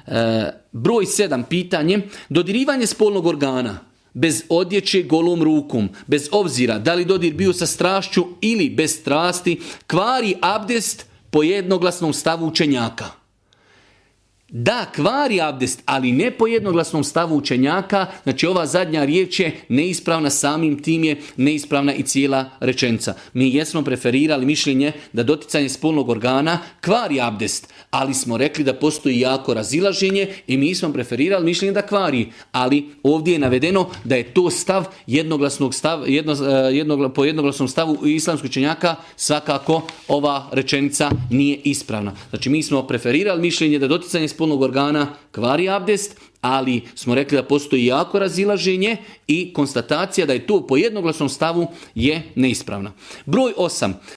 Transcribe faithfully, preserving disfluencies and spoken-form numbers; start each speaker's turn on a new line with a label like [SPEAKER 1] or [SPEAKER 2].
[SPEAKER 1] E, broj sedam, pitanje. Dodirivanje spolnog organa bez odjeće, golom rukom, bez obzira da li dodir bio sa strašću ili bez strasti, kvari abdest po jednoglasnom stavu učenjaka. Da, kvari abdest, ali ne po jednoglasnom stavu učenjaka, znači ova zadnja riječ je neispravna, samim tim je neispravna i cijela rečenica. Mi jesmo preferirali mišljenje da doticanje spolnog organa kvari abdest, ali smo rekli da postoji jako razilaženje i mi smo preferirali mišljenje da kvari, ali ovdje je navedeno da je to stav jednoglasnog stav, jedno, jedno, po jednoglasnom stavu islamskog učenjaka, svakako ova rečenica nije ispravna. Znači mi smo preferirali mišljenje da doticanje spolnog organa kvari abdest, ali smo rekli da postoji jako razilaženje i konstatacija da je to po jednoglasnom stavu je neispravna. Broj osam.